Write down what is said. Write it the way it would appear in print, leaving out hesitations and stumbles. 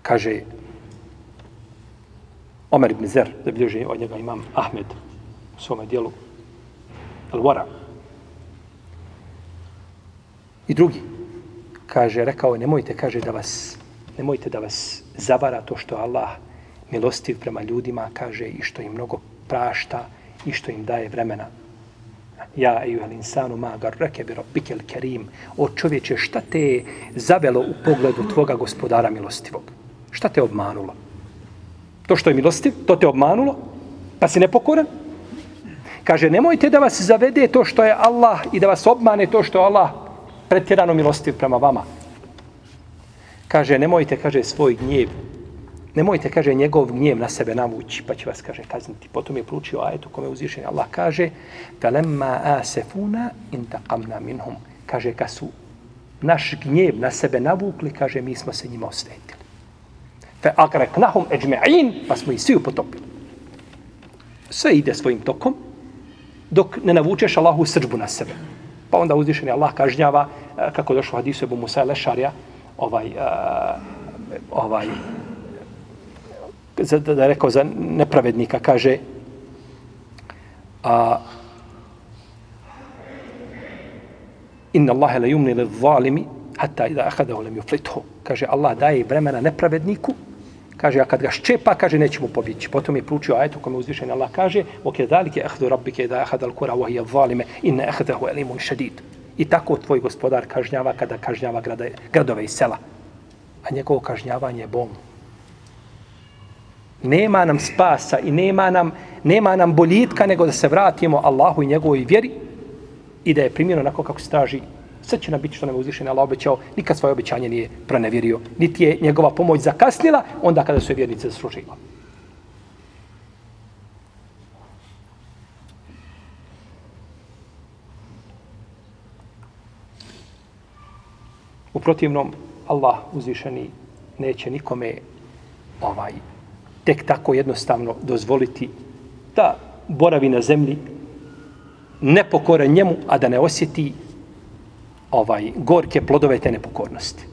kaže Omer ibn Zer, zabilježi od njega imam Ahmed u svome dijelu Al-Wara. I drugi, kaže, rekao, nemojte da vas zavara to što Allah milostiv prema ljudima, kaže, i što im mnogo prašta i što im daje vremena. Ja, ejuhel insanu, ma garrake bi rabbikel kerim. O čovječe, šta te je zavelo u pogledu tvoga gospodara milostivog? Šta te obmanulo? To što je milostiv, to te obmanulo? Pa si nepokoran? Kaže, nemojte da vas zavede to što je Allah i da vas obmane to što je Allah pretjerano milostiv prema vama. Kaže, nemojte, kaže, svoj gnjev, nemojte, kaže, njegov gnjev na sebe navući, pa će vas, kaže, kazniti. Potom je proučio ajetu kome uzvišen Allah kaže, فَلَمَّا آسَفُونَا إِنْتَقَمْنَا مِنْهُمْ. Kaže, kad su naš gnjev na sebe navukli, kaže, mi smo se njima osvetili. فَأَقْرَكْنَهُمْ أَجْمَعِينَ. Pa smo ih svi upotopili. Sve ide svojim tokom, dok ne navučeš Allahu srdžbu na sebe. Pa onda uzvišeni Allah kažnjava, kako došlo u hadisu Ebu Musa Lešarija, da je rekao za nepravednika, kaže inna Allahe la yumni lil zalimi hatta idha akhadahu lam yuflithu. Kaže, Allah daje vremena nepravedniku, kaže, a kad ga ščepa, kaže, neće mu pobjeći. Potom je proučio ajetu kome uzvišeni Allah kaže وَكَذَلِكَ أَخْذُ رَبِّكَ إِذَا أَخَذَ الْقُرَى وَهِيَ الظَّالِمَ إِنَّ أَخْذَهُ أَلِيمٌ شَدِيدٌ. I tako tvoj gospodar kažnjava kada kažnjava gradove i sela. A njegovo kažnjavanje je bolno. Nema nam spasa i nema nam boljitka nego da se vratimo Allahu i njegovoj vjeri i da je primjeno onako kako se traži. Sve će nam biti što nam je uzvišen Allah obećao, nikad svoje obećanje nije pronevjerio, niti je njegova pomoć zakasnila onda kada su je vjernice zaslužili. U protivnom, Allah uzvišeni neće nikome tek tako jednostavno dozvoliti da boravi na zemlji nepokoran njemu, a da ne osjeti gorke plodove te nepokornosti.